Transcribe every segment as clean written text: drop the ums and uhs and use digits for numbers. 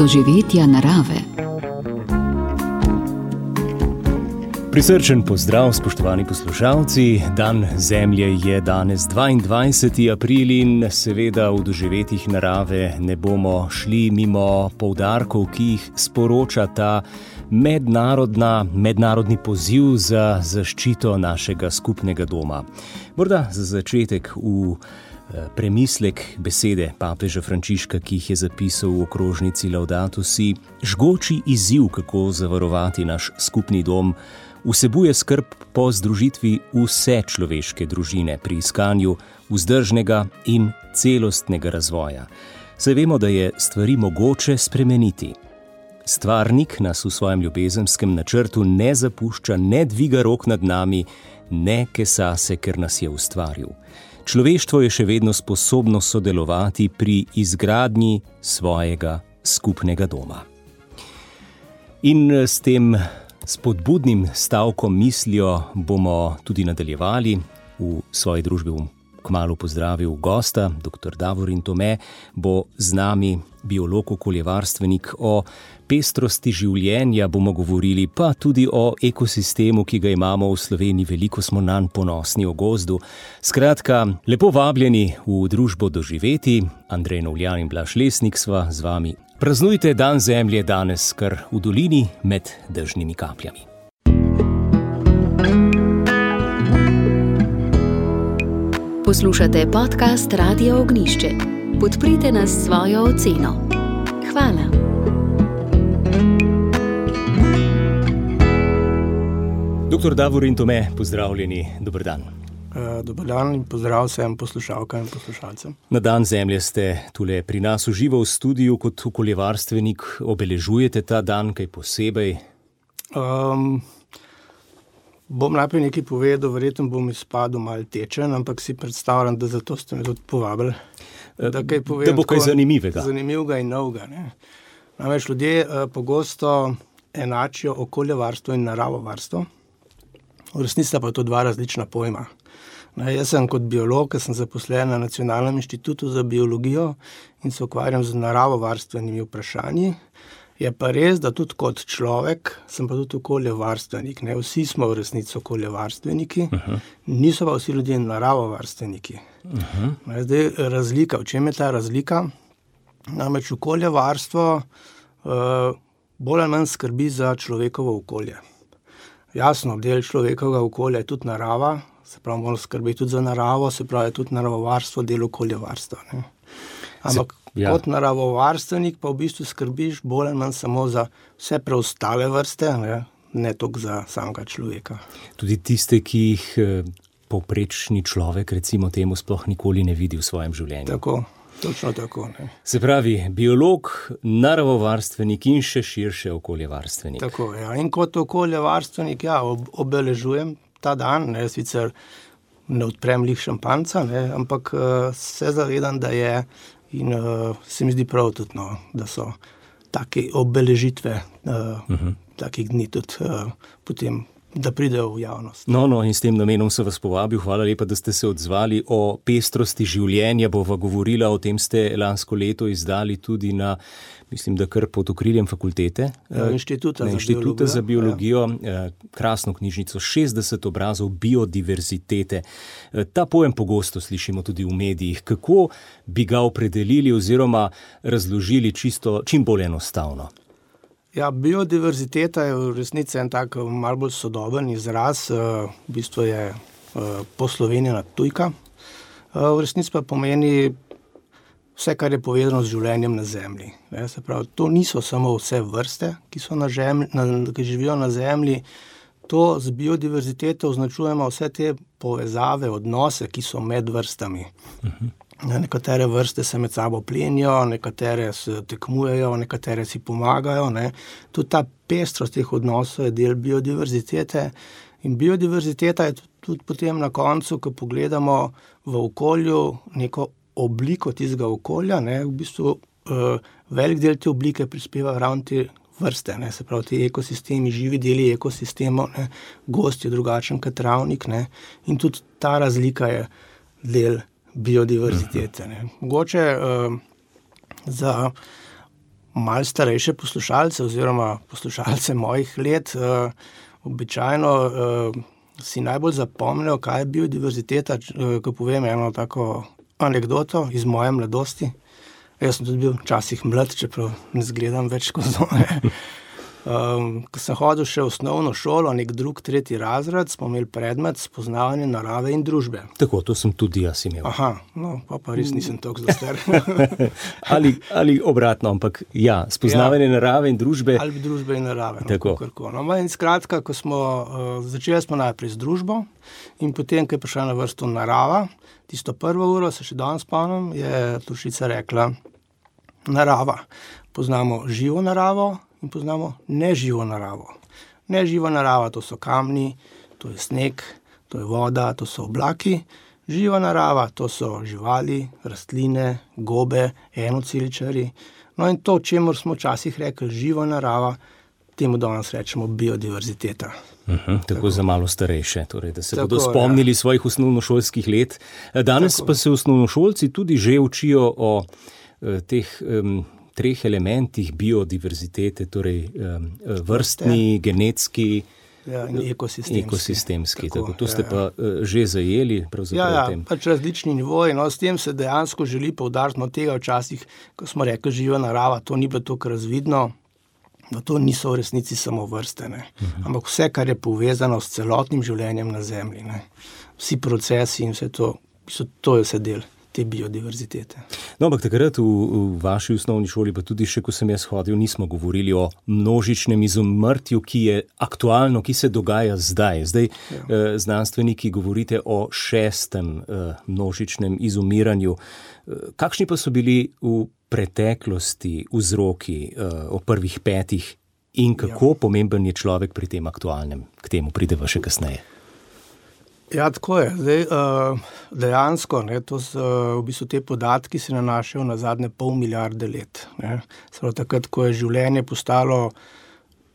doživetja narave. Prisrčen pozdrav, spoštovani poslušalci. Dan Zemlje je danes 22. april in seveda v doživetjih narave ne bomo šli mimo poudarkov, ki jih sporoča ta mednarodni poziv za zaščito našega skupnega doma. Morda za začetek v premislek besede papeža Frančiška, ki jih je zapisal v okrožnici Laudato Si. Žgoči izziv, kako zavarovati naš skupni dom, vsebuje skrb po združitvi vse človeške družine pri iskanju vzdržnega in celostnega razvoja. Saj vemo, da je stvari mogoče spremeniti. Stvarnik nas v svojem ljubezenskem načrtu ne zapušča, ne dviga rok nad nami, ne kesa se, ker nas je ustvaril. Človeštvo je še vedno sposobno sodelovati pri izgradnji svojega skupnega doma. In s tem spodbudnim stavkom mislijo bomo tudi nadaljevali. V svoji družbi bom kmalu pozdravil gosta, dr. Davorin Tome, bo z nami biolog, okoljevarstvenik. O pestrosti življenja bomo govorili, pa tudi o ekosistemu, ki ga imamo v Sloveniji, veliko smo nanj ponosni, o gozdu. Skratka, lepo vabljeni v družbo doživeti. Andrej Novljan in Blaž Lesnik sva z vami. Praznujte Dan Zemlje danes kar v dolini med dežnimi kapljami. Poslušate podcast Radia Ognjišče. Podprite nas s svojo oceno. Hvala. Dr. Davorin Tome, pozdravljeni, dober dan. Dober dan in pozdrav vsem poslušalkam in poslušalcem. Na Dan Zemlje ste tule pri nas v živo v studiu kot okoljevarstvenik. Obeležujete ta dan kaj posebej? Bom najprej nekaj povedal, verjetno bom izpadel malo tečen, ampak si predstavljam, da zato ste me tudi povabili. Da bo kaj zanimivega. Zanimivega in novega. Namreč ljudje pogosto enačijo okoljevarstvo in naravovarstvo. V resnici pa to dva različna pojma. Jaz sem kot biolog, sem zaposlen na Nacionalnem inštitutu za biologijo in se ukvarjam z naravovarstvenimi vprašanji. Je pa res, da tudi kot človek sem pa tudi okoljevarstvenik. Vsi smo v resnici okoljevarstveniki, niso pa vsi ljudje naravovarstveniki. Zdaj razlika, v čem je ta razlika? Namreč okoljevarstvo bolj ali manj skrbi za človekovo okolje. Jasno, del človekovega okolja je tudi narava, se pravi, moramo skrbeti tudi za naravo, se pravi, tudi naravovarstvo, del okoljevarstva. Ampak kot naravovarstvenik pa v bistvu skrbiš bolj ali manj samo za vse preostale vrste, ne toliko za samega človeka. Tudi tiste, ki jih povprečni človek, recimo temu, sploh nikoli ne vidi v svojem življenju. Tako, točno tako. Se pravi, biolog, naravovarstvenik in še širše okoljevarstvenik. Tako, ja. In kot okoljevarstvenik, obeležujem ta dan, sicer ne odprem lih šampanca, ampak se zavedam, da je in se mi zdi prav tudi, da so take obeležitve takih dni tudi potem, da pridejo v javnost. No, in s tem namenom se vas povabil. Hvala lepa, da ste se odzvali. O pestrosti življenja bova govorila, o tem ste lansko leto izdali tudi na, mislim, da kar pod okriljem fakultete. Inštituta za biologijo. Krasno knjižnico, 60 obrazov biodiverzitete. Ta pojem pogosto slišimo tudi v medijih. Kako bi ga opredelili oziroma razložili čim bolj enostavno? Biodiverziteta je v resnici en tak malo bolj sodoben izraz, v bistvu je poslovenjena tujka. V resnici pa pomeni vse, kar je povezano z življenjem na Zemlji. Se pravi, to niso samo vse vrste, ki živijo na Zemlji. To z biodiverziteto označujemo vse te povezave, odnose, ki so med vrstami. Nekatere vrste se med sabo plenijo, nekatere se tekmujejo, nekatere si pomagajo. Tudi ta pestrost teh odnosov je del biodiverzitete. In biodiverziteta je tudi potem na koncu, ko pogledamo v okolju neko obliko tistega okolja, v bistvu velik del te oblike prispeva ravno te vrste, se pravi ti ekosistemi, živi deli ekosistemov, gozd je drugačen kot travnik, in tudi ta razlika je del biodiverzitete. Mogoče za malo starejše poslušalce oziroma poslušalce mojih let običajno si najbolj zapomnijo, kaj je biodiverziteta, ko povem eno tako anekdoto iz moje mladosti. Jaz sem tudi bil včasih mlad, čeprav ne zgledam več kot zone. Ko sem hodil še v osnovno šolo, nek drug, tretji razred, smo imeli predmet spoznavanje narave in družbe. Tako, to sem tudi jaz imel. Aha, no, pa res nisem toliko zelo star. ali obratno, ampak ja, spoznavanje narave in družbe. Ali družbe in narave. Tako. No, in skratka, ko smo začeli smo najprej z družbo in potem, ko je prišla na vrsto narava, tisto prvo uro, se še danes spomnim, je Turšica rekla, narava. Poznamo živo naravo in poznamo neživo naravo. Neživa narava, to so kamni, to je sneg, to je voda, to so oblaki. Živa narava, to so živali, rastline, gobe, enoceličarji. No in to, čemur smo včasih rekli živa narava, temu danes rečemo biodiverziteta. Tako za malo starejše, torej, da se bodo spomnili svojih osnovnošolskih let. Danes pa se osnovnošolci tudi že učijo o teh treh elementih biodiverzitete, torej vrstni, genetski in ekosistemski. Tako, to ste pa že zajeli pravzaprav v tem. Pač različni nivoji. No, s tem se dejansko želi poudariti, no, tega včasih, ko smo rekli živa narava, to ni bilo toliko razvidno, da to niso v resnici samo vrste, ne. Ampak vse, kar je povezano s celotnim življenjem na Zemlji, ne. Vsi procesi in vse to, to je vse del te biodiverzitete. No, ampak takrat v vaši osnovni šoli, pa tudi še, ko sem jaz hodil, nismo govorili o množičnem izumrtju, ki je aktualno, ki se dogaja zdaj. Zdaj znanstveniki govorite o 6. množičnem izumiranju. Kakšni pa so bili v preteklosti vzroki o prvih 5 in kako pomemben je človek pri tem aktualnem? K temu prideva še kasneje. Ja, tako je. Zdaj, dejansko, ne, to so, v bistvu te podatki se nanašajo na zadnje 0,5 milijarde let. Ne. Prav takrat, ko je življenje postalo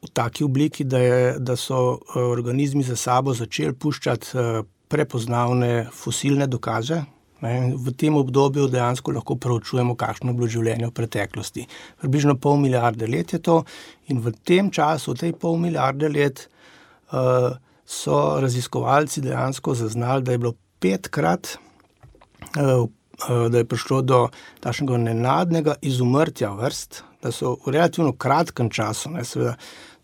v taki obliki, da so organizmi za sabo začeli puščati prepoznavne fosilne dokaze. Ne. V tem obdobju dejansko lahko proučujemo, kakšno je bilo življenje v preteklosti. Približno 0,5 milijarde let je to in v tem času, v tej 0,5 milijarde let, so raziskovalci dejansko zaznali, da je bilo 5-krat, da je prišlo do takšnega nenadnega izumrtja vrst, da so v relativno kratkem času, ne, seveda,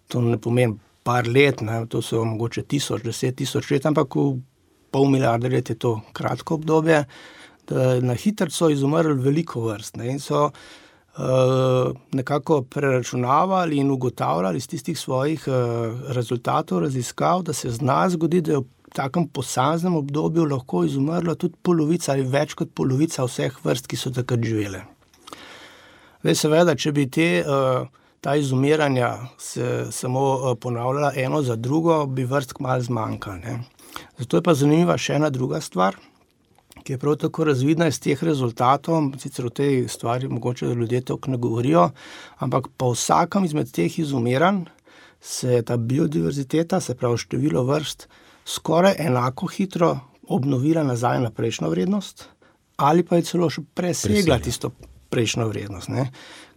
to ne pomeni par let, ne, to so mogoče 1000 let, ampak v 0,5 milijarde let je to kratko obdobje, da na hitro so izumrli veliko vrst, ne, in so nekako preračunavali in ugotavljali iz tistih svojih rezultatov raziskav, da se zna zgodi, da je v takem posameznem obdobju lahko izumrla tudi polovica ali več kot polovica vseh vrst, ki so takrat živele. Zdaj, seveda, če bi ta izumiranja se samo ponavljala eno za drugo, bi vrst kmalu zmanjkalo, ne. Zato je pa zanimiva še ena druga stvar, ki je prav tako razvidna iz teh rezultatov, sicer o tej stvari mogoče ljudje toliko ne govorijo, ampak po vsakem izmed teh izumiranj se ta biodiverziteta, se pravi število vrst, skoraj enako hitro obnovila nazaj na prejšnjo vrednost, ali pa je celo še presegla tisto prejšnjo vrednost, ne.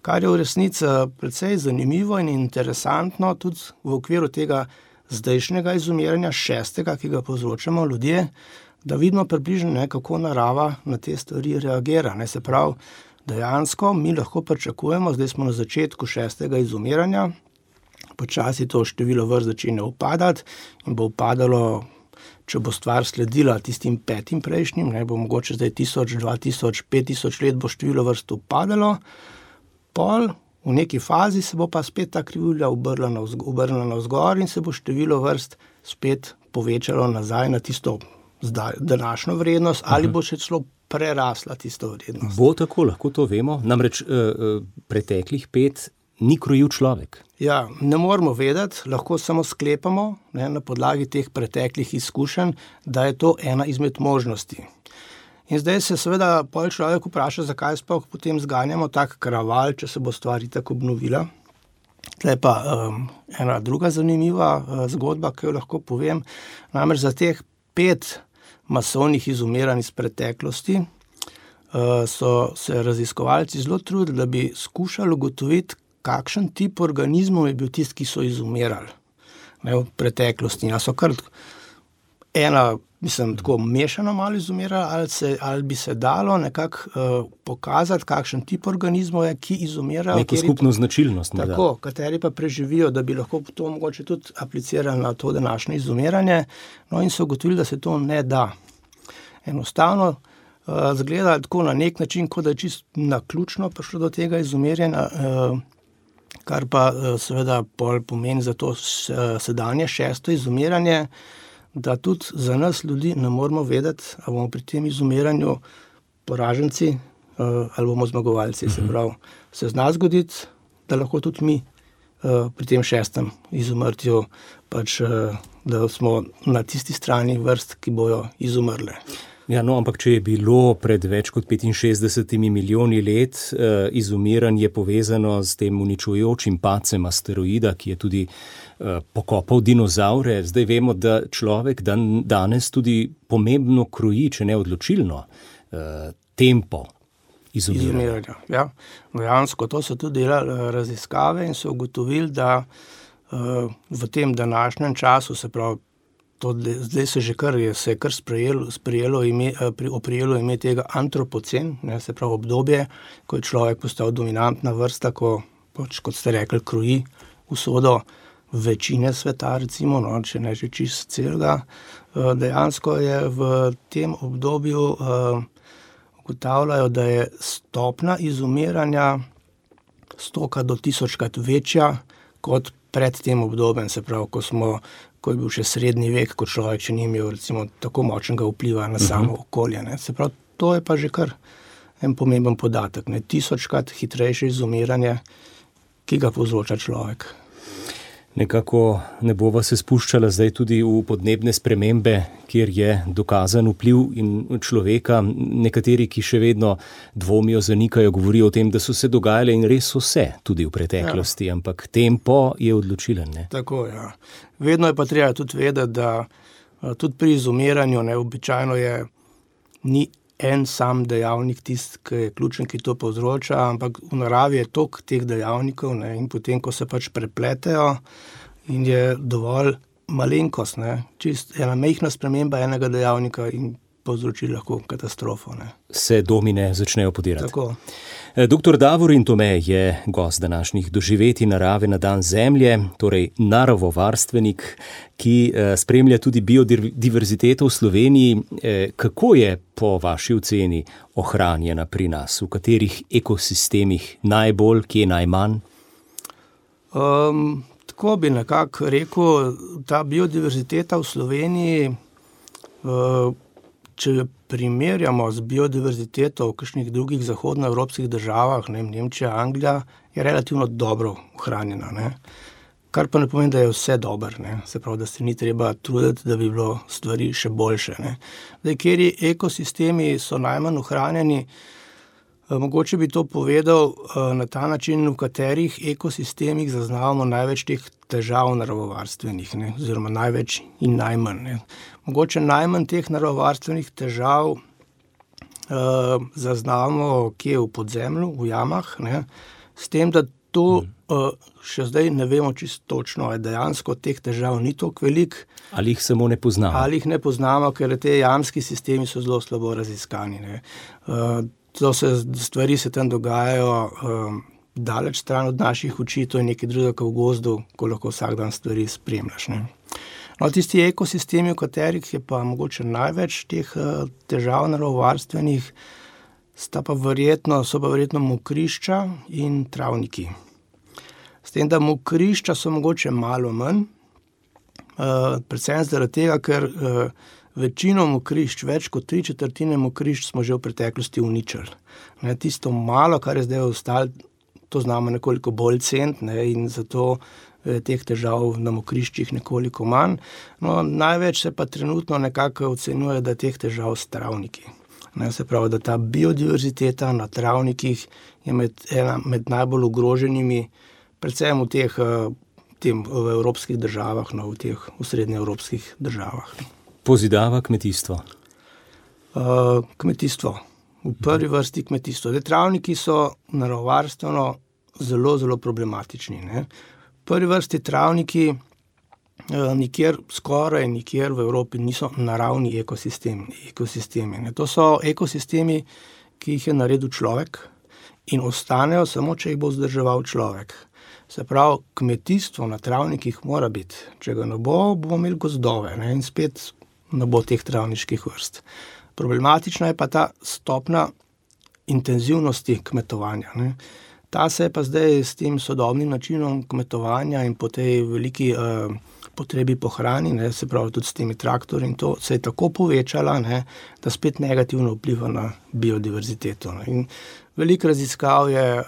Kar je v resnici precej zanimivo in interesantno tudi v okviru tega zdajšnjega izumiranja 6., ki ga povzročamo ljudje, da vidimo približno, ne, kako narava na te stvari reagira. Ne, se pravi, dejansko mi lahko pričakujemo, zdaj smo na začetku 6. izumiranja, počasi to število vrst začenja upadati in bo upadalo, če bo stvar sledila tistim 5 prejšnjim, ne, bo mogoče zdaj 1000, 2000, 5000 let bo število vrst upadalo, pol v neki fazi se bo pa spet ta krivulja obrnila navzgor in se bo število vrst spet povečalo nazaj na tisto današnjo vrednost ali bo še celo prerasla tisto vrednost. Bo tako, lahko to vemo? Namreč preteklih 5 ni krojil človek. Ja, ne moramo vedeti, lahko samo sklepamo, ne, na podlagi teh preteklih izkušenj, da je to ena izmed možnosti. In zdaj se seveda pol človek vpraša, zakaj sploh potem zganjamo tak kraval, če se bo stvar itak obnovila. Tle pa ena druga zanimiva zgodba, ki jo lahko povem, namreč za teh 5 masovnih izumiranj iz preteklosti so se raziskovalci zelo trudili, da bi skušali ugotoviti, kakšen tip organizmov je bil tisti, ki so izumirali v preteklosti. So kar tako mešano malo izumirali, ali bi se dalo nekako pokazati, kakšen tip organizmov je, ki izumirajo. Neko skupno značilnost. Tako, kateri pa preživijo, da bi lahko to mogoče tudi aplicirali na to današnje izumiranje. In so ugotovili, da se to ne da. Enostavno zgleda tako na nek način, kot da je čisto naključno prišlo do tega izumirjenja, kar pa seveda pomeni za to sedanje 6. izumiranje, da tudi za nas ljudi ne moramo vedeti, ali bomo pri tem izumiranju poraženci ali bomo zmagovalci. Se pravi, se zna zgoditi, da lahko tudi mi pri tem 6. izumrtju da smo na tisti strani vrst, ki bojo izumrle. Ja, ampak če je bilo pred več kot 65 milijoni let izumiranje povezano s tem uničujočim padcem asteroida, ki je tudi pokopal dinozavre, zdaj vemo, da človek danes tudi pomembno kroji, če ne odločilno, tempo izumiranja. Ja, dejansko to so tudi delali raziskave in so ugotovili, da v tem današnjem času, se pravi, zdaj se je kar oprijelo ime tega antropocen, se pravi obdobje, ko je človek postal dominantna vrsta, ko, kot ste rekli, kroji usodo večine sveta, recimo, če ne že čisto celega. Dejansko je v tem obdobju ugotavljajo, da je stopna izumiranja 100 do 1000-krat večja kot pred tem obdobjem, se pravi, ko je bil še srednji vek, ko človek še ni imel recimo tako močnega vpliva na samo okolje. Se pravi, to je pa že kar en pomemben podatek. 1000-krat hitrejše izumiranje, ki ga povzroča človek. Nekako ne bova se spuščala zdaj tudi v podnebne spremembe, kjer je dokazan vpliv in človeka. Nekateri, ki še vedno dvomijo, zanikajo, govorijo o tem, da so se dogajale in res so se tudi v preteklosti, ampak tempo je odločilen. Ne? Tako, ja. Vedno je pa treba tudi vedeti, da tudi pri izumiranju običajno ni en sam dejavnik tisti, ki je ključen, ki to povzroča, ampak v naravi je toliko teh dejavnikov in potem, ko se prepletejo in je dovolj malenkost, čist ena majhna sprememba enega dejavnika in povzroči lahko katastrofo. Se domine začnejo podirati. Tako. Dr. Davorin Tome je gost današnjih doživetij narave na dan Zemlje, torej naravovarstvenik, ki spremlja tudi biodiverziteto v Sloveniji. Kako je po vaši oceni ohranjena pri nas? V katerih ekosistemih najbolj, kje najmanj? Tako bi nekako rekel, ta biodiverziteta v Sloveniji, če jo primerjamo z biodiverziteto v kakšnih drugih zahodnoevropskih državah, Nemčija, Anglija, je relativno dobro ohranjena. Kar pa ne pomeni, da je vse dobro. Se pravi, da se ni treba truditi, da bi bilo stvari še boljše. Kateri ekosistemi so najmanj ohranjeni, mogoče bi to povedal na ta način, v katerih ekosistemih zaznavamo največ teh težav naravovarstvenih, oziroma največ in najmanj. Mogoče najmanj teh naravovarstvenih težav zaznavamo kje v podzemlju, v jamah, s tem, da to še zdaj ne vemo čisto točno, dejansko teh težav ni toliko veliko. Ali jih samo ne poznamo? Ali jih ne poznamo, ker te jamski sistemi so zelo slabo raziskani. Stvari se tam dogajajo daleč stran od naših oči, to je nekaj drugega v gozdu, ko lahko vsak dan stvari spremljaš. Tisti ekosistemi, v katerih je pa mogoče največ teh težav naravovarstvenih, so pa verjetno mokrišča in travniki. S tem, da mokrišča so mogoče malo manj, predvsem zaradi tega, ker večino mokrišč, več kot 3/4 mokrišč smo že v preteklosti uničili. Tisto malo, kar je zdaj ostalo, to znamo nekoliko bolj ceniti in zato teh težav na mokriščih nekoliko manj. Največ se pa trenutno nekako ocenjuje, da teh težav s travniki. Se pravi, da ta biodiverziteta na travnikih je ena med najbolj ogroženimi, predvsem v evropskih državah, v srednjeevropskih državah. Pozidava kmetijstvo? Kmetijstvo. V prvi vrsti kmetijstvo. Travniki so naravovarstveno zelo, zelo problematični. Ne. V prvi vrsti travniki skoraj nikjer v Evropi niso naravni ekosistemi. Ne. To so ekosistemi, ki jih je naredil človek in ostanejo samo, če jih bo vzdrževal človek. Se pravi, kmetijstvo na travnikih mora biti. Če ga ne bo, bomo imeli gozdove, ne, in spet ne bo teh travniških vrst. Problematična je pa ta stopna intenzivnosti kmetovanja. Ne. Ta se je pa zdaj s tem sodobnim načinom kmetovanja in po tej veliki potrebi po hrani, ne, se pravi tudi s temi traktorji in to, se je tako povečala, ne, da spet negativno vpliva na biodiverziteto. Ne. In veliko raziskav je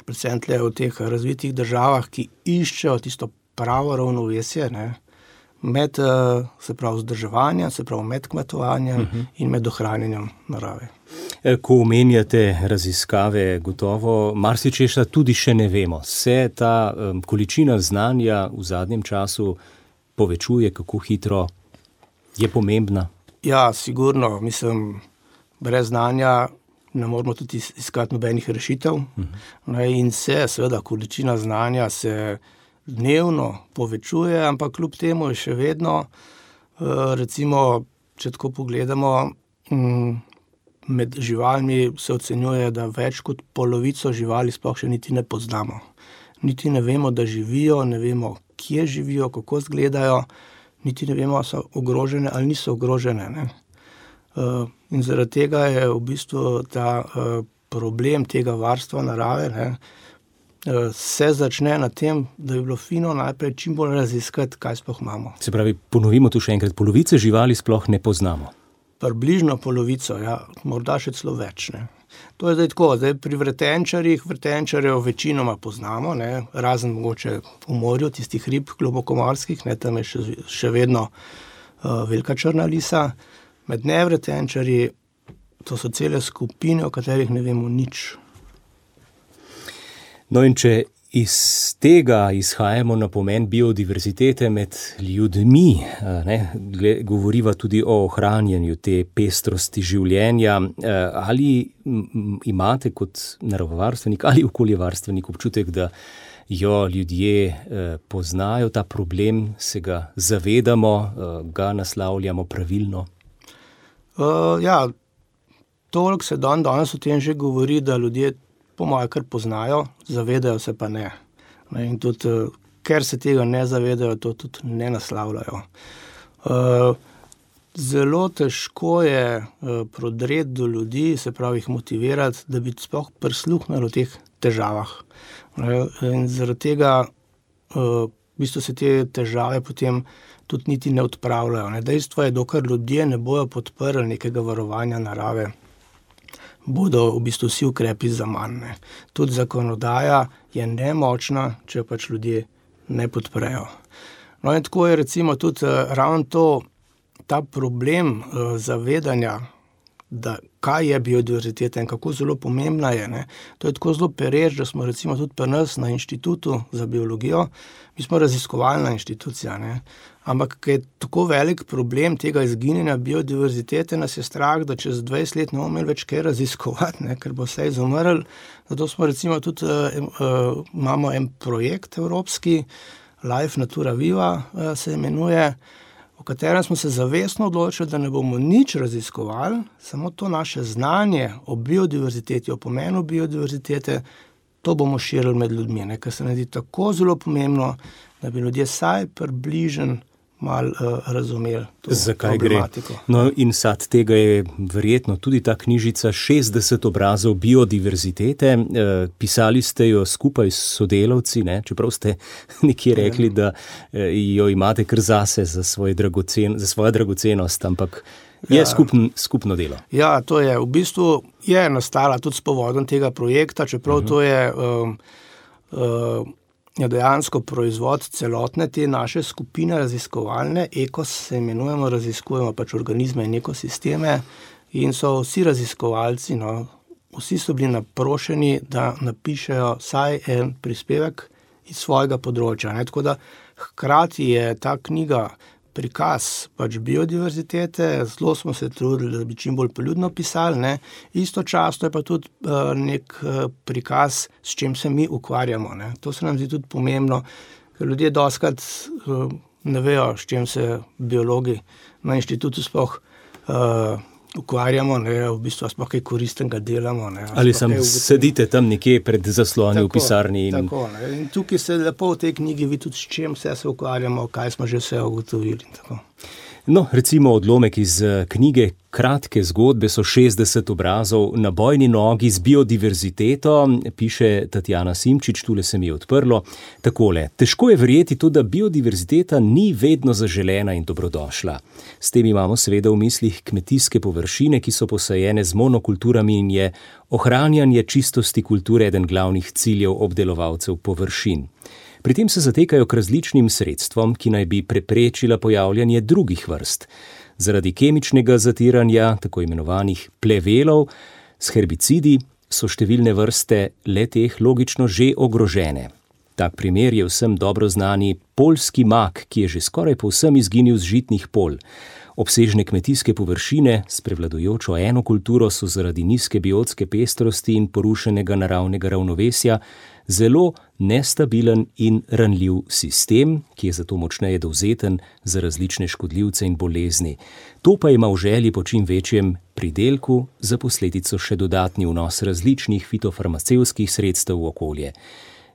predvsem tle v teh razvitih državah, ki iščejo tisto pravo ravnovesje, ne, med se pravi vzdrževanjem, se pravi med kmetovanjem in med ohranjanjem narave. Ko omenjate raziskave, gotovo marsičesa tudi še ne vemo. Se ta količina znanja v zadnjem času povečuje, kako hitro je pomembna? Ja, sigurno. Mislim, brez znanja ne moramo tudi iskati nobenih rešitev. In seveda, količina znanja se dnevno povečuje, ampak kljub temu je še vedno, recimo, če tako pogledamo, med živalmi se ocenjuje, da več kot polovico živali sploh še niti ne poznamo. Niti ne vemo, da živijo, ne vemo, kje živijo, kako izgledajo, niti ne vemo, so ogrožene ali niso ogrožene. Ne. In zaradi tega je v bistvu ta problem tega varstva narave, ne, se začne na tem, da bi bilo fino najprej čim bolj raziskati, kaj sploh imamo. Se pravi, ponovimo tu še enkrat, polovice živali sploh ne poznamo. Približno polovico, ja, morda še celo več. Ne. To je zdaj tako, pri vretenčarjev večinoma poznamo, ne, razen mogoče v morju, tistih rib globokomorskih, ne, tam je še vedno velika črna lisa. Med nevretenčarji, to so cele skupine, o katerih ne vemo nič. No in če iz tega izhajamo na pomen biodiverzitete med ljudmi, ne, govoriva tudi o ohranjanju te pestrosti življenja, ali imate kot naravovarstvenik ali okoljevarstvenik občutek, da jo ljudje poznajo, ta problem, se ga zavedamo, ga naslavljamo pravilno? Ja, toliko se danes o tem že govori, da ljudje po moje kar poznajo, zavedajo se pa ne. In tudi, ker se tega ne zavedajo, to tudi ne naslavljajo. Zelo težko je prodreti do ljudi, se pravi jih motivirati, da bi sploh prisluhnili o teh težavah. In zaradi tega v bistvu se te težave potem tudi niti ne odpravljajo. Dejstvo je, dokler ljudje ne bojo podprli nekega varovanja narave, bodo v bistvu vsi ukrepi zaman. Tudi zakonodaja je nemočna, če pač ljudje ne podprejo. No in tako je recimo tudi ravno ta problem zavedanja, da kaj je biodiverziteta in kako zelo pomembna je. Ne. To je tako zelo pereč, da smo recimo tudi pri nas na Inštitutu za biologijo, mi smo raziskovalna inštitucija, ne. Ampak ker je tako velik problem tega izginjanja biodiverzitete, nas je strah, da čez 20 let ne bomo imeli več kaj raziskovati, ne, ker bo vse izumrl. Zato smo recimo tudi, imamo en projekt evropski, Life Natura Viva se imenuje, v katerem smo se zavestno odločili, da ne bomo nič raziskovali, samo to naše znanje o biodiverziteti, o pomenu biodiverzitete, to bomo širili med ljudmi, ne, ker se nam zdi tako zelo pomembno, da bi ljudje vsaj približno malo razumeli to problematiko. Gre? No in sad tega je verjetno tudi ta knjižica 60 obrazov biodiverzitete. Pisali ste jo skupaj s sodelavci, ne? Čeprav ste nekje rekli, da jo imate kar zase za svojo dragocenost, ampak je skupno delo. Ja, to je v bistvu je nastala tudi s povodom tega projekta, čeprav to je dejansko proizvod celotne te naše skupine raziskovalne. Ekos se imenujemo, raziskujemo pač organizme in ekosisteme in so vsi raziskovalci, no, vsi so bili naprošeni, da napišejo vsaj en prispevek iz svojega področja. Ne. Tako da hkrati je ta knjiga prikaz pač biodiverzitete, zelo smo se trudili, da bi čim bolj poljudno pisali, ne. Istočasno je pa tudi nek prikaz, s čim se mi ukvarjamo, ne. To se nam zdi tudi pomembno, ker ljudje dostikrat ne vejo, s čim se biologi na inštitutu sploh ukvarjamo, ne, v bistvu sploh kaj koristnega delamo. Ne, ali sedite tam nekje pred zasloni v pisarni. Tako, ne. In tukaj se lepo v tej knjigi vidi tudi, s čim vse se ukvarjamo, kaj smo že vse ugotovili. Tako. No, recimo odlomek iz knjige Kratke zgodbe so 60 obrazov na bojni nogi z biodiverziteto, piše Tatjana Simčič, tule se mi je odprlo. Takole, težko je verjeti tudi, da biodiverziteta ni vedno zaželena in dobrodošla. S tem imamo seveda v mislih kmetijske površine, ki so posajene z monokulturami in je ohranjanje čistosti kulture eden glavnih ciljev obdelovalcev površin. Pri tem se zatekajo k različnim sredstvom, ki naj bi preprečila pojavljanje drugih vrst. Zaradi kemičnega zatiranja, tako imenovanih plevelov, s herbicidi so številne vrste le-teh logično že ogrožene. Tak primer je vsem dobro znani poljski mak, ki je že skoraj povsem izginil z žitnih polj. Obsežne kmetijske površine s prevladujočo eno kulturo so zaradi nizke biotske pestrosti in porušenega naravnega ravnovesja zelo nestabilen in ranljiv sistem, ki je zato močneje dovzeten za različne škodljivce in bolezni. To pa ima v želji po čim večjem pridelku za posledico še dodatni vnos različnih fitofarmacevtskih sredstev v okolje.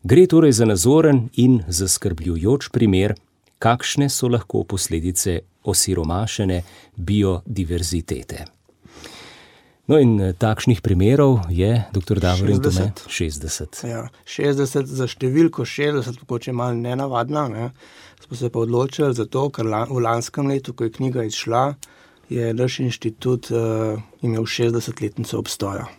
Gre torej za nazoren in zaskrbljujoč primer, kakšne so lahko posledice osiromašene biodiverzitete. No in takšnih primerov je, dr. Davorin Tome, 60. Ja, 60 za številko 60, mogoče malo nenavadna, ne. Smo se pa odločili zato, ker v lanskem letu, ko je knjiga izšla, je naš inštitut imel 60-letnico obstoja.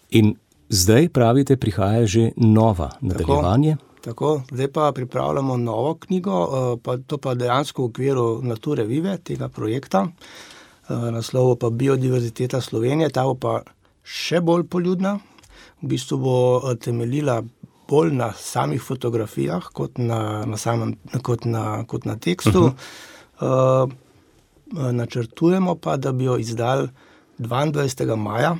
In zdaj, pravite, prihaja že nova nadaljevanje? Tako, zdaj pa pripravljamo novo knjigo, to pa dejansko v okviru Nature Vive, tega projekta. Naslov pa Biodiverziteta Slovenije, ta bo pa še bolj poljudna. V bistvu bo temeljila bolj na samih fotografijah, kot na tekstu. Načrtujemo pa, da bi jo izdali 22. maja,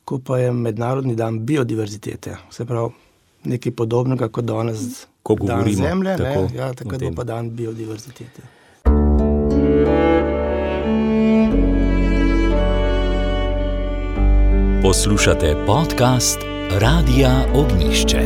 ko pa je Mednarodni dan biodiverzitete. Se pravi, nekaj podobnega kot danes dan Zemlje, takrat bo pa dan biodiverzitete. Poslušate podcast Radia Ognišče.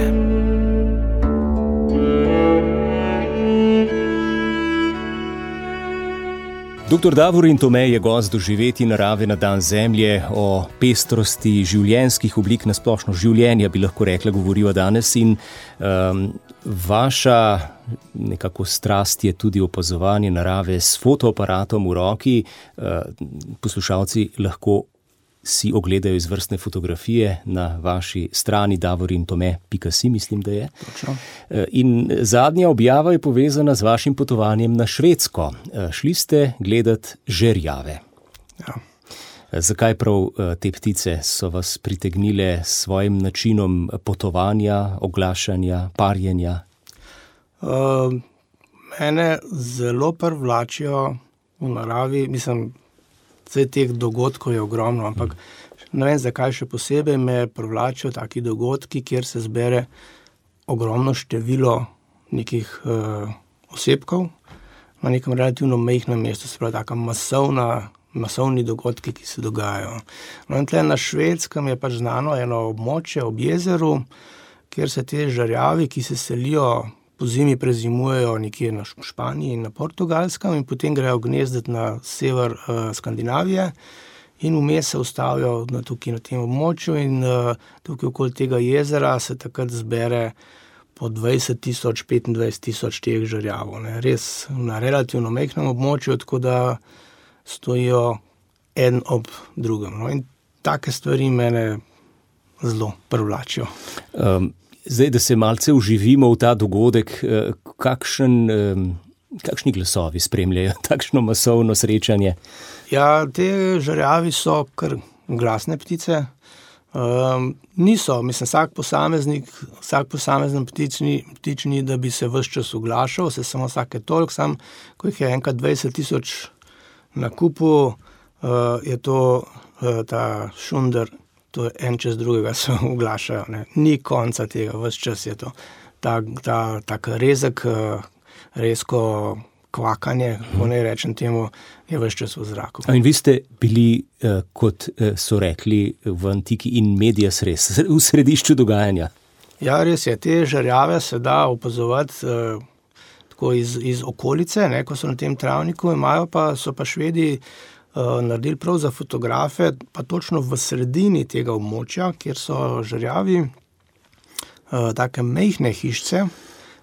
Dr. Davorin Tome je gost Doživeti narave na dan Zemlje, o pestrosti življenjskih oblik, na splošno življenja, bi lahko rekla, govoriva danes in vaša nekako strast je tudi opazovanje narave s fotoaparatom v roki. Poslušalci lahko si ogledajo izvrstne fotografije na vaši strani davorintome.si, mislim, da je. Točno. In zadnja objava je povezana z vašim potovanjem na Švedsko. Šli ste gledat žerjave. Ja. Zakaj prav te ptice so vas pritegnile s svojim načinom potovanja, oglašanja, parjenja? Mene zelo privlačijo v naravi, mislim, vse teh dogodkov je ogromno, ampak ne vem, zakaj še posebej me privlačijo taki dogodki, kjer se zbere ogromno število nekih osebkov na nekem relativno majhnem mestu, se pravi taka masovni dogodki, ki se dogajajo. No in tle na Švedskem je pač znano eno območje ob jezeru, kjer se te žerjavi, ki se selijo, po zimi prezimujejo nekje na Španiji in na Portugalskem in potem grejo gnezdet na sever Skandinavije in vmes se ustavijo tukaj na tem območju in tukaj okoli tega jezera se takrat zbere po 20,000, 25,000 teh žerjavov. Ne. Res na relativno majhnem območju, tako da stojijo en ob drugem. No. In take stvari mene zelo privlačijo. Zdaj, da se malce vživimo v ta dogodek, kakšni glasovi spremljajo takšno masovno srečanje? Ja, te žerjavi so kar glasne ptice. Niso, mislim, vsak posamezen ptič ni, da bi se ves čas oglašal, se samo vsake toliko, sam, ko jih je enkrat 20,000 na kupu, je to ta šunder, to je en čez drugega se oglašajo, ne. Ni konca tega, ves čas je to. Tak rezek, rezko kvakanje, ko ne rečem temu, je ves čas v zraku. In vi ste bili, kot so rekli v antiki, in medias res, v središču dogajanja. Ja, res je, te žerjave se da opazovati tako iz okolice, ne, ko so na tem travniku, so pa Švedi naredili prav za fotografe, pa točno v sredini tega območja, kjer so žerjavi, take majhne hišce,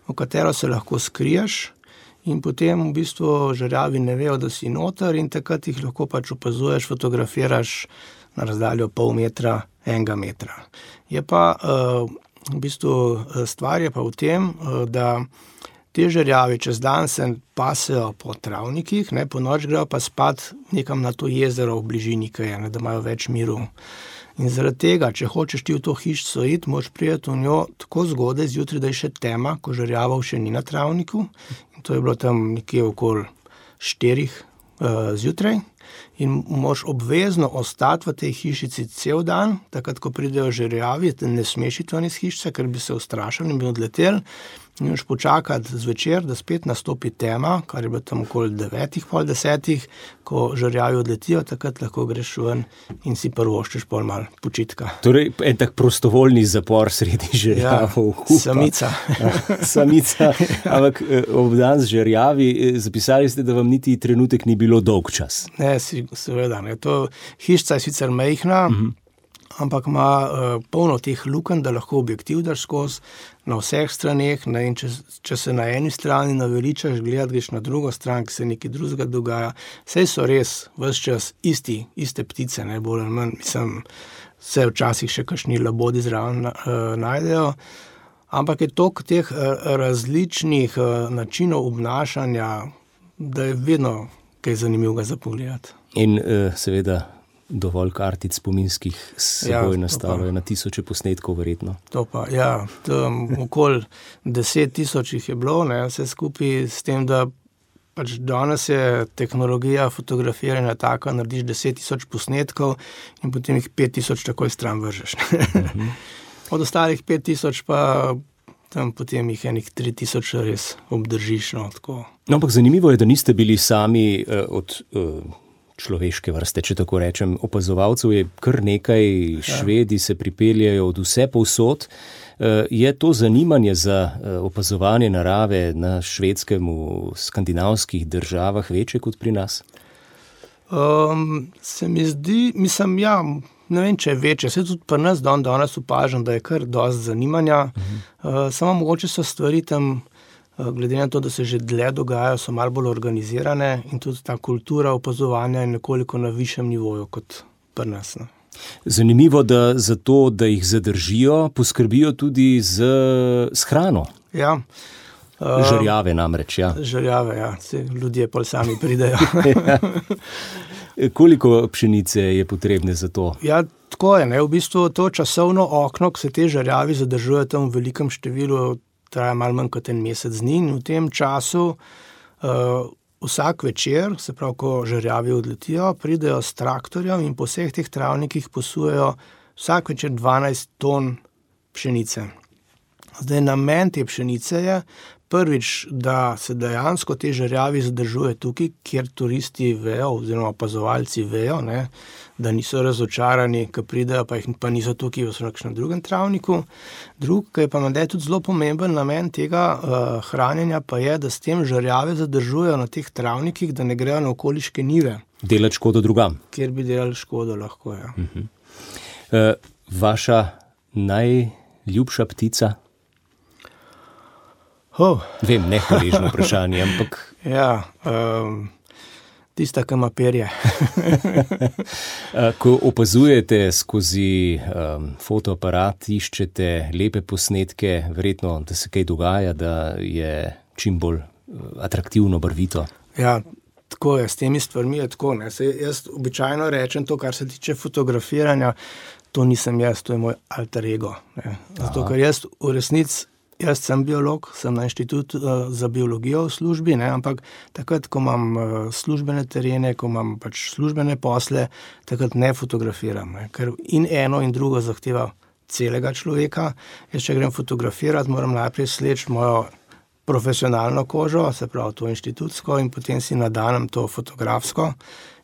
v katero se lahko skriješ, in potem v bistvu žerjavi ne vejo, da si noter, in takrat jih lahko pač opazuješ, fotografiraš na razdaljo pol metra, 1 metra. Je pa v bistvu stvar je pa v tem, da te žerjavi čez dan se pasejo po travnikih, ne, po noč grejo pa spat nekam na to jezero v bližini, da imajo več miru. In zaradi tega, če hočeš ti v to hišco iti, moraš priti v njo tako zgodaj zjutraj, da je še tema, ko žerjavov še ni na travniku. In to je bilo tam nekje okoli 4 zjutraj. In moraš obvezno ostati v tej hišici cel dan, takrat, ko pridejo žerjavi, ne smeš iti ven iz hišice, ker bi se ustrašili in bi odleteli. In moraš počakati zvečer, da spet nastopi tema, kar je bilo tam okoli 9, pol 10, ko žerjavi odletijo, takrat lahko greš ven in si privoščiš pol malo počitka. Torej, en tak prostovoljni zapor sredi žerjavov. Ja, samica. Samica, ampak obdan z žerjavi, zapisali ste, da vam niti trenutek ni bilo dolg čas. Ne, seveda, ne. To hišca je sicer majhna, ampak ima polno teh lukenj, da lahko objektiv daš skozi na vseh straneh, ne, in če se na eni strani naveličaš gledati, greš na drugo stran, ki se nekaj drugega dogaja. Saj so res ves čas iste ptice, ne, bolj ali manj, mislim, se včasih še kakšni labodi zraven najdejo, ampak je toliko teh različnih načinov obnašanja, da je vedno kaj zanimivega za pogledati. In seveda dovolj kartic spominskih seboj nastavljajo, na tisoče posnetkov verjetno. To pa, ja, okoli 10,000 jih je bilo, ne, vse skupaj s tem, da pač danes je tehnologija fotografiranja taka, narediš 10,000 posnetkov in potem jih 5,000 takoj stran vržeš. Od ostalih 5,000 pa tam potem jih enih 3,000 res obdržiš, no, tako. No, ampak zanimivo je, da niste bili sami od človeške vrste, če tako rečem, opazovalcev je kar nekaj, Švedi se pripeljajo od vse povsod. Je to zanimanje za opazovanje narave na Švedskem, v skandinavskih državah večje kot pri nas? Se mi zdi, mislim, ja, ne vem, če je večje. Se tudi pri nas danes opažam, da je kar dosti zanimanja. Samo mogoče so stvari tam, glede na to, da se že dlje dogajajo, so malo bolj organizirane in tudi ta kultura opazovanja je nekoliko na višjem nivoju kot pri nas. Ne. Zanimivo, da za to, da jih zadržijo, poskrbijo tudi z hrano. Ja. Žerjave namreč, ja. Žerjave, ja. Ljudje pol sami pridejo. Koliko pšenice je potrebne za to? Ja, tako je, ne. V bistvu to časovno okno, ko se te žerjavi zadržujejo tam v velikem številu, traja malo manj kot 1 mesec dni, in v tem času vsak večer, se pravi, ko žerjavi odletijo, pridejo s traktorjem in po vseh teh travnikih posujejo vsak večer 12 ton pšenice. Zdaj, namen te pšenice je prvič, da se dejansko te žerjavi zadržuje tukaj, kjer turisti vejo, oziroma opazovalci vejo, ne, da niso razočarani, ko pridejo, pa niso tukaj v nekakšnem drugem travniku. Ki je pa menda tudi zelo pomemben namen tega hranjenja, pa je, da s tem žerjave zadržujejo na teh travnikih, da ne grejo na okoliške njive. Delati škodo drugam. Kjer bi delali škodo lahko, ja. Vaša najljubša ptica? Vem, nehvaležno vprašanje, ampak... Ja, tista, ki ima perje. Ko opazujete skozi fotoaparat, iščete lepe posnetke, verjetno, da se kaj dogaja, da je čim bolj atraktivno, barvito. Ja, tako je, s temi stvarmi je tako, ne. Jaz običajno rečem to, kar se tiče fotografiranja, to nisem jaz, to je moj alter ego. Ne. Zato, ker jaz v resnici, jaz sem biolog, sem na inštitutu za biologijo v službi, ne, ampak takrat, ko imam službene terene, ko imam pač službene posle, takrat ne fotografiram, ne, ker in eno in drugo zahteva celega človeka. Jaz, če grem fotografirati, moram najprej sleči mojo profesionalno kožo, se pravi to inštitutsko, in potem si nadanem to fotografsko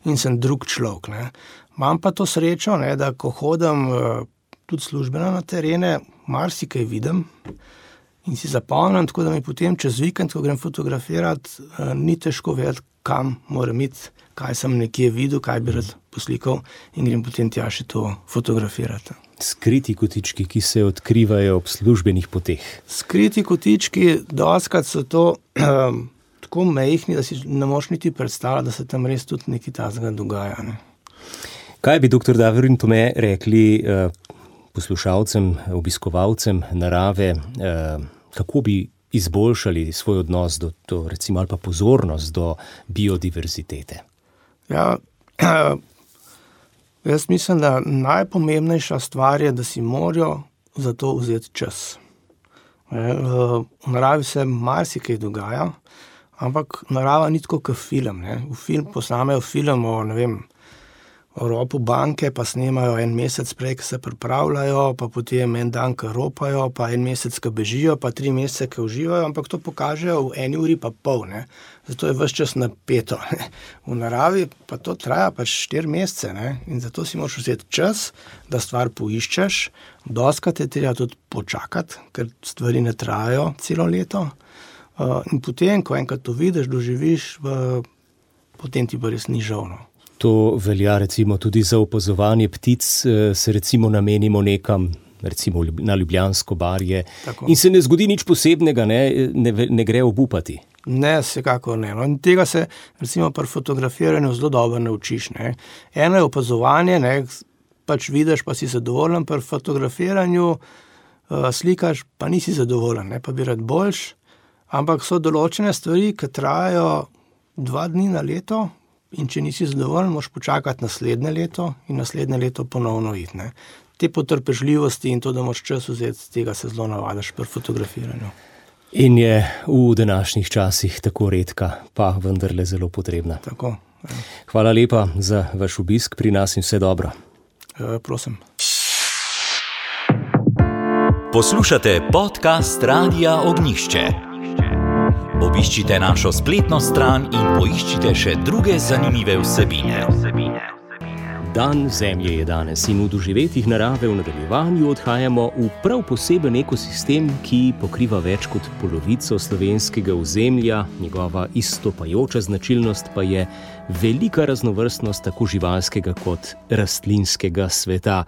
in sem drug človek. Ne. Imam pa to srečo, ne, da ko hodim tudi službeno na terene, marsikaj vidim in si zapomnim, tako da mi potem čez vikend, ko grem fotografirati, ni težko vedeti, kam moram iti, kaj sem nekje videl, kaj bi rad poslikal, in grem potem tja še to fotografirati. Skriti kotički, ki se odkrivajo ob službenih poteh. Skriti kotički, dostikrat so to tako majhni, da si ne moš niti predstavljati, da se tam res tudi nekaj takega dogaja. Ne. Kaj bi dr. Davorin Tome rekli poslušalcem, obiskovalcem narave, kako bi izboljšali svoj odnos do recimo, ali pa pozornost do biodiverzitete? Ja, jaz mislim, da najpomembnejša stvar je, da si morajo za to vzeti čas. V naravi se marsikaj dogaja, ampak narava ni tako kot film. Ne. Posnamejo film o, ne vem, o ropu banke, pa snemajo en mesec prej, ko se pripravljajo, pa potem en dan, ko ropajo, pa en mesec, ko bežijo, pa 3 mesece, ko uživajo, ampak to pokažejo v 1 uri pa pol. Ne. Zato je ves čas napeto. Ne. V naravi pa to traja pač 4 mesece, ne. In zato si moraš vzeti čas, da stvar poiščeš. Dostikrat je treba tudi počakati, ker stvari ne trajajo celo leto. In potem, ko enkrat to vidiš, doživiš, potem ti pa res ni žal. No. To velja recimo tudi za opazovanje ptic, se recimo namenimo nekam, recimo na Ljubljansko barje, tako. In se ne zgodi nič posebnega, ne gre obupati. Ne, vsekakor ne. No. In tega se recimo pri fotografiranju zelo dobro naučiš. Ne. Eno je opazovanje, ne, pač vidiš, pa si zadovoljen, pri fotografiranju slikaš, pa nisi zadovoljen, ne, pa bi rad boljš, ampak so določene stvari, ki trajajo 2 dni na leto, in če nisi zadovoljen, moraš počakati naslednje leto in naslednje leto ponovno iti. Ne. Te potrpežljivosti in to, da moraš čas vzeti, tega se zelo navadaš pri fotografiranju. In je v današnjih časih tako redka, pa vendarle zelo potrebna. Tako. Ja. Hvala lepa za vaš obisk pri nas in vse dobro. Prosim. Poslušate podcast Radia Ognjišče. Obiščite našo spletno stran in poiščite še druge zanimive vsebine. Dan Zemlje je danes in v doživetjih narave v nadaljevanju odhajamo v prav poseben ekosistem, ki pokriva več kot polovico slovenskega ozemlja. Njegova izstopajoča značilnost pa je velika raznovrstnost tako živalskega kot rastlinskega sveta.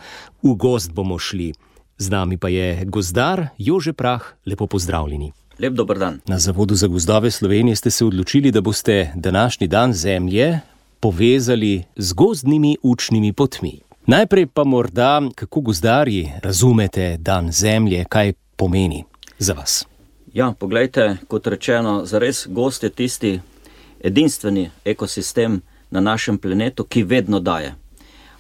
V gozd bomo šli. Z nami pa je gozdar Jože Prah. Lepo pozdravljeni. Lep dober dan. Na Zavodu za gozdove Slovenije ste se odločili, da boste današnji dan Zemlje povezali z gozdnimi učnimi potmi. Najprej pa morda, kako gozdarji razumete dan Zemlje, kaj pomeni za vas? Ja, poglejte, kot rečeno, zares gozd je tisti edinstveni ekosistem na našem planetu, ki vedno daje.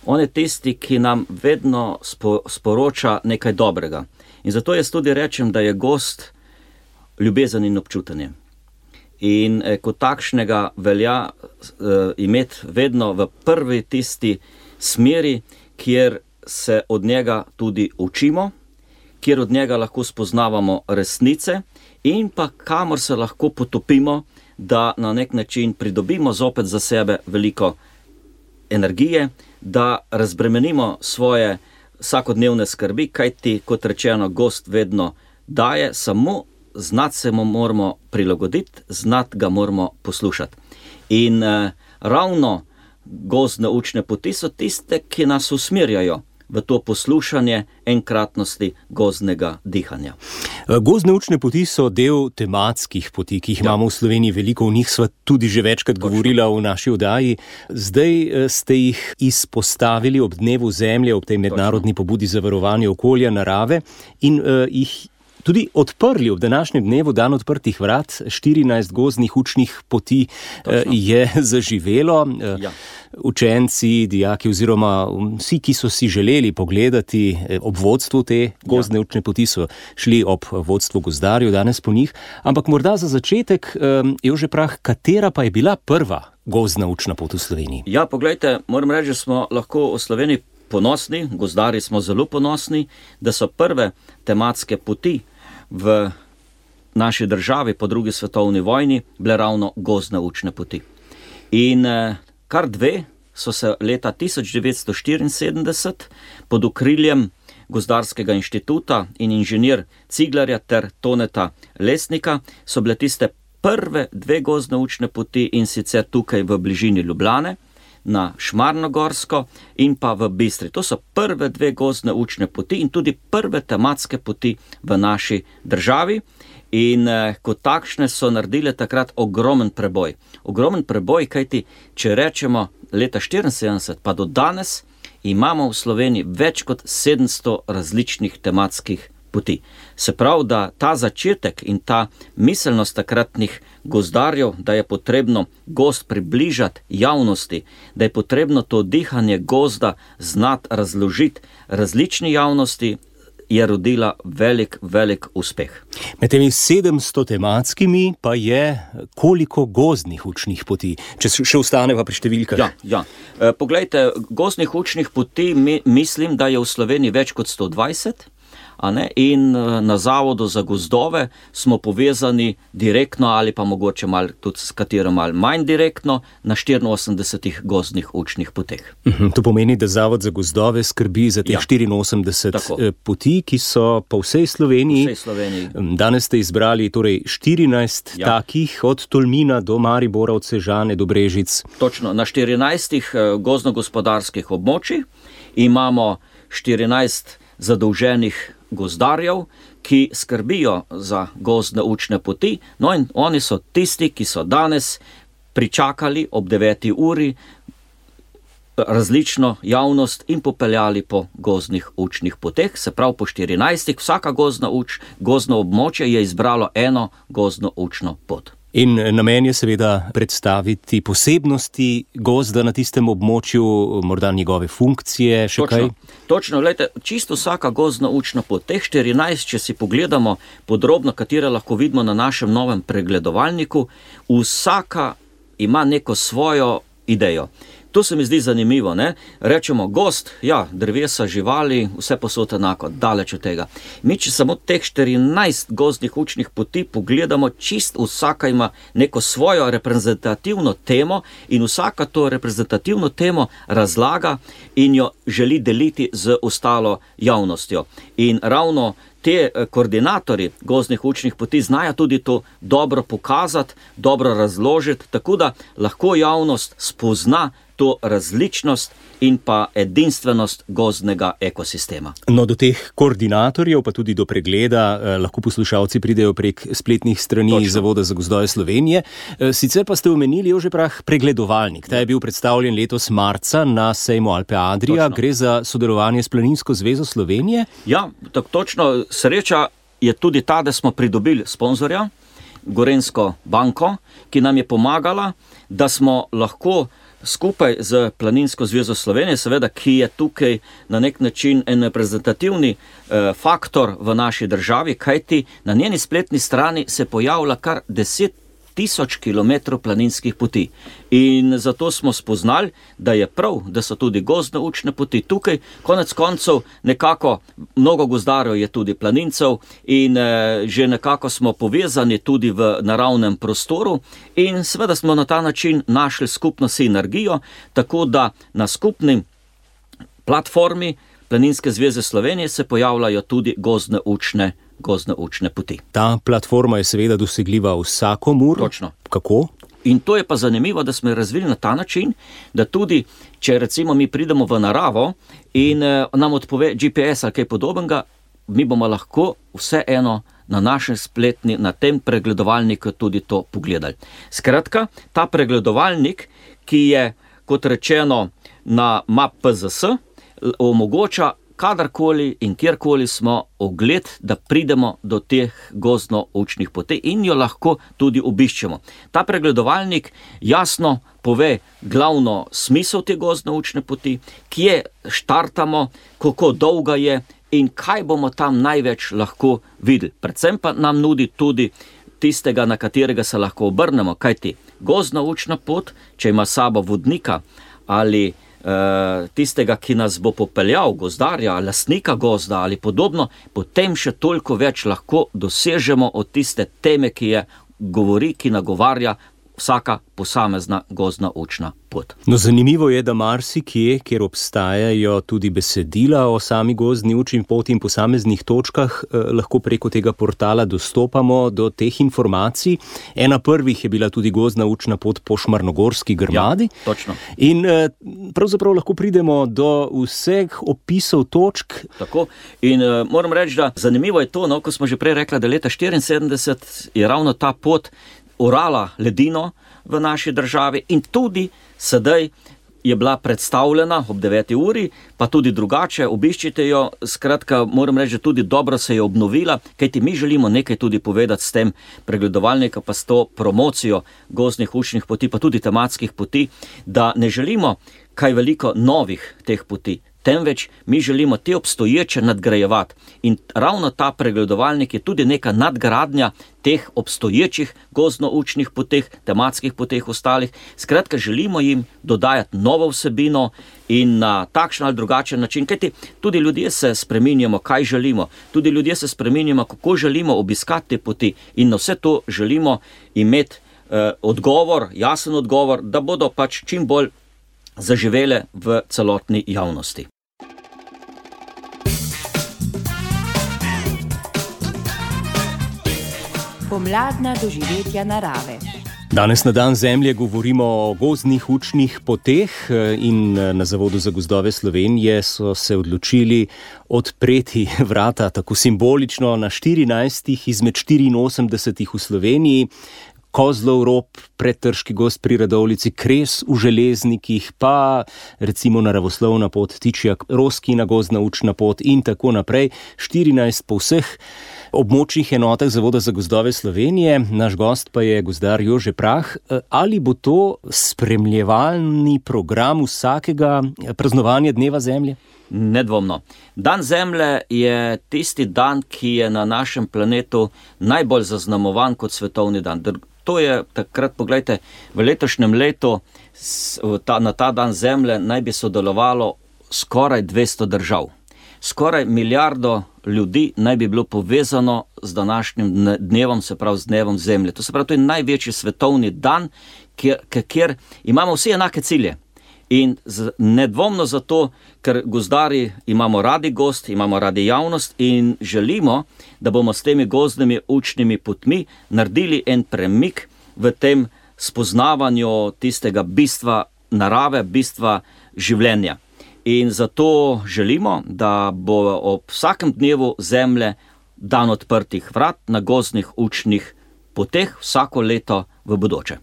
On je tisti, ki nam vedno sporoča nekaj dobrega. In zato jaz tudi rečem, da je gozd ljubezen in občutanje. In kot takšnega velja imeti vedno v prvi tisti smeri, kjer se od njega tudi učimo, kjer od njega lahko spoznavamo resnice in pa kamor se lahko potopimo, da na nek način pridobimo zopet za sebe veliko energije, da razbremenimo svoje vsakodnevne skrbi, kajti, kot rečeno, gozd vedno daje, samo znati se mu moramo prilagoditi, znati ga moramo poslušati. In ravno gozdne učne poti so tiste, ki nas usmerjajo v to poslušanje enkratnosti gozdnega dihanja. Gozdne učne poti so del tematskih poti, ki jih imamo v Sloveniji veliko, o njih sva tudi že večkrat govorila v naši oddaji. Zdaj ste jih izpostavili ob Dnevu Zemlje, ob tej mednarodni pobudi za varovanje okolja, narave in jih tudi odprli ob današnjem dnevu dan odprtih vrat. 14 gozdnih učnih poti je zaživelo. Ja. Učenci, dijaki oziroma vsi, ki so si želeli pogledati ob vodstvu te gozdne učne poti, so šli ob vodstvu gozdarjev danes po njih. Ampak morda za začetek, Jože Prah, katera pa je bila prva gozdna učna pot v Sloveniji? Ja, poglejte, moram reči, da smo lahko v Sloveniji ponosni, gozdarji smo zelo ponosni, da so prve tematske poti v naši državi po drugi svetovni vojni bile ravno gozdne učne poti. In kar dve so se leta 1974 pod okriljem Gozdarskega inštituta in inženir Ciglarja ter Toneta Lesnika so bile tiste prve dve gozdne učne poti, in sicer tukaj v bližini Ljubljane, na Šmarnogorsko in pa v Bistri. To so prve dve gozdne učne poti in tudi prve tematske poti v naši državi. In kot takšne so naredile takrat ogromen preboj. Ogromen preboj, kajti če rečemo leta 1974 pa do danes, imamo v Sloveniji več kot 700 različnih tematskih poti. Se pravi, da ta začetek in ta miselnost takratnih gozdarjev, da je potrebno gozd približati javnosti, da je potrebno to dihanje gozda znati razložiti različni javnosti, je rodila velik uspeh. Med temi 700 tematskimi pa je koliko gozdnih učnih poti, če še ostaneva pri številkah? Ja. Poglejte, gozdnih učnih poti mislim, da je v Sloveniji več kot 120, in na Zavodu za gozdove smo povezani direktno ali pa mogoče malo tudi s katero malo manj direktno na 84 gozdnih učnih poteh. To pomeni, da Zavod za gozdove skrbi za teh 84 poti, ki so po vsej Sloveniji. Danes ste izbrali torej 14 takih, od Tolmina do Maribora, od Sežane do Brežic. Točno, na 14 gozdno-gospodarskih območjih imamo 14 zadolženih gozdarjev, ki skrbijo za gozdne učne poti, in oni so tisti, ki so danes pričakali ob 9. uri različno javnost in popeljali po gozdnih učnih poteh, se pravi po 14, vsaka gozdno območje je izbralo eno gozdno učno pot. In namen je seveda predstaviti posebnosti gozda na tistem območju, morda njegove funkcije, še kaj? Točno, gledajte, čisto vsaka gozdna učna pot, teh 14, če si pogledamo podrobno, katere lahko vidimo na našem novem pregledovalniku, vsaka ima neko svojo idejo. To se mi zdi zanimivo, ne? Rečemo gozd, drevesa, živali, vse posod enako, daleč od tega. Mi, če samo teh 14 gozdnih učnih poti pogledamo, čisto vsaka ima neko svojo reprezentativno temo in vsaka to reprezentativno temo razlaga in jo želi deliti z ostalo javnostjo. In ravno te koordinatorji gozdnih učnih poti znajo tudi to dobro pokazati, dobro razložiti, tako da lahko javnost spozna to različnost in pa edinstvenost gozdnega ekosistema. No, do teh koordinatorjev, pa tudi do pregleda, lahko poslušalci pridejo prek spletnih strani Zavoda za gozdove Slovenije. Sicer pa ste omenili, Jože Prah, pregledovalnik. Ta je bil predstavljen letos marca na sejmu Alpe Adria. Točno. Gre za sodelovanje s Planinsko zvezo Slovenije? Ja, točno. Sreča je tudi ta, da smo pridobili sponzorja, Gorenjsko banko, ki nam je pomagala, da smo lahko skupaj z Planinsko zvezo Slovenije, seveda, ki je tukaj na nek način en reprezentativni faktor v naši državi, kajti na njeni spletni strani se pojavlja kar 10 tisoč kilometrov planinskih poti. In zato smo spoznali, da je prav, da so tudi gozdne učne poti tukaj. Konec koncev nekako mnogo gozdarjev je tudi planincev in že nekako smo povezani tudi v naravnem prostoru in seveda smo na ta način našli skupno sinergijo, tako da na skupni platformi Planinske zveze Slovenije se pojavljajo tudi gozdne učne poti. Ta platforma je seveda dosegljiva vsakomur. Točno. Kako? In to je pa zanimivo, da smo jo razvili na ta način, da tudi, če recimo mi pridemo v naravo in nam odpove GPS ali kaj podobnega, mi bomo lahko vseeno na našem spletni, na tem pregledovalniku tudi to pogledali. Skratka, ta pregledovalnik, ki je, kot rečeno, na MapPZS, omogoča kadarkoli in kjerkoli smo, ogled, da pridemo do teh gozdno-učnih poti in jo lahko tudi obiščemo. Ta pregledovalnik jasno pove glavno smisel te gozdno-učne poti, kje štartamo, kako dolga je in kaj bomo tam največ lahko videli. Predvsem pa nam nudi tudi tistega, na katerega se lahko obrnemo, kajti gozdno-učna pot, če ima sabo vodnika ali tistega, ki nas bo popeljal, gozdarja, lastnika gozda ali podobno, potem še toliko več lahko dosežemo od tiste teme, ki je govori, ki nagovarja vsaka posamezna gozdno-učna pot. No, zanimivo je, da marsikje, kjer obstajajo tudi besedila o sami gozdni učni poti in posameznih točkah, lahko preko tega portala dostopamo do teh informacij. Ena prvih je bila tudi gozdna učna pot po Šmarnogorski grmadi. Ja, točno. In pravzaprav lahko pridemo do vseh opisov točk. Tako. In moram reči, da zanimivo je to, no, ko smo že prej rekla, da leta 1974 je ravno ta pot orala ledino v naši državi in tudi sedaj je bila predstavljena ob 9. uri, pa tudi drugače, obiščite jo, skratka, moram reči, da tudi dobro se je obnovila, kajti mi želimo nekaj tudi povedati s tem pregledovalnikom, pa s to promocijo gozdnih učnih poti, pa tudi tematskih poti, da ne želimo kaj veliko novih teh poti, temveč mi želimo te obstoječe nadgrajevati. In ravno ta pregledovalnik je tudi neka nadgradnja teh obstoječih gozdno-učnih poteh, tematskih poteh ostalih. Skratka, želimo jim dodajati novo vsebino in na takšen ali drugačen način, kajti tudi ljudje se spreminjamo, kaj želimo. Tudi ljudje se spreminjamo, kako želimo obiskati te poti in na vse to želimo imeti odgovor, jasen odgovor, da bodo pač čim bolj zaživele v celotni javnosti. Pomladna doživetja narave. Danes na dan Zemlje govorimo o gozdnih učnih poteh in na Zavodu za gozdove Slovenije so se odločili odpreti vrata tako simbolično na 14 izmed 84 v Sloveniji. Kozlov rob, Pretrški gozd pri Radovljici, Kres v Železnikih, pa recimo naravoslovna pot Tičjak, Roskina gozdna učna pot in tako naprej. 14 po vseh območnih enotah Zavoda za gozdove Slovenije. Naš gost pa je gozdar Jože Prah. Ali bo to spremljevalni program vsakega praznovanja Dneva Zemlje? Nedvomno. Dan Zemlje je tisti dan, ki je na našem planetu najbolj zaznamovan kot svetovni dan. To je takrat, poglejte, v letošnjem letu na ta dan Zemlje naj bi sodelovalo skoraj 200 držav. Skoraj milijardo ljudi naj bi bilo povezano z današnjim dnevom, se pravi z Dnevom Zemlje. To se pravi, to je največji svetovni dan, kjer imamo vsi enake cilje. In nedvomno zato, ker gozdari imamo radi gozd, imamo radi javnost in želimo, da bomo s temi gozdnimi učnimi potmi naredili en premik v tem spoznavanju tistega bistva narave, bistva življenja. In zato želimo, da bo ob vsakem dnevu Zemlje dan odprtih vrat na gozdnih učnih poteh vsako leto v bodoče.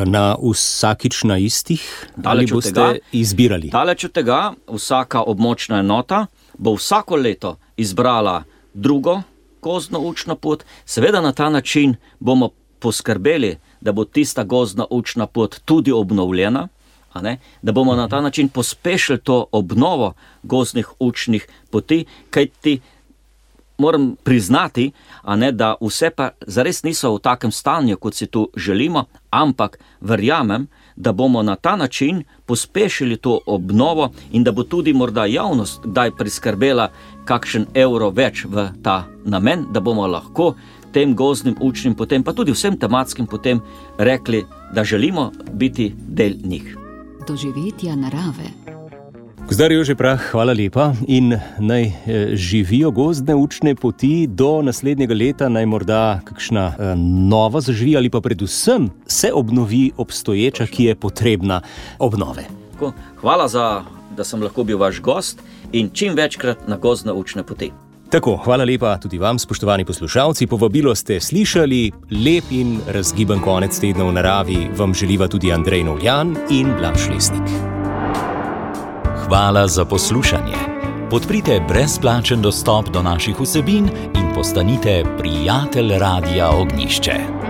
Na vsakič na istih? Ali boste izbirali? Daleč od tega, vsaka območna enota bo vsako leto izbrala drugo gozdno učno pot. Seveda na ta način bomo poskrbeli, da bo tista gozdna učna pot tudi obnovljena, da bomo na ta način pospešili to obnovo gozdnih učnih poti, kajti moram priznati, da vse pa zares niso v takem stanju, kot si tu želimo, ampak verjamem, da bomo na ta način pospešili to obnovo in da bo tudi morda javnost kdaj priskrbela kakšen evro več v ta namen, da bomo lahko tem gozdnim učnim potem, pa tudi vsem tematskim potem rekli, da želimo biti del njih. Doživetja narave. Gozdar Jože Prah, hvala lepa in naj živijo gozdne učne poti do naslednjega leta, naj morda kakšna nova zaživi ali pa predvsem se obnovi obstoječa, ki je potrebna obnove. Hvala da sem lahko bil vaš gost in čim večkrat na gozdne učne poti. Tako, hvala lepa tudi vam, spoštovani poslušalci. Povabilo ste slišali, lep in razgiban konec tedna v naravi vam želiva tudi Andrej Novljan in Blaž Lesnik. Hvala za poslušanje. Podprite brezplačen dostop do naših vsebin in postanite prijatelj Radia Ognjišče.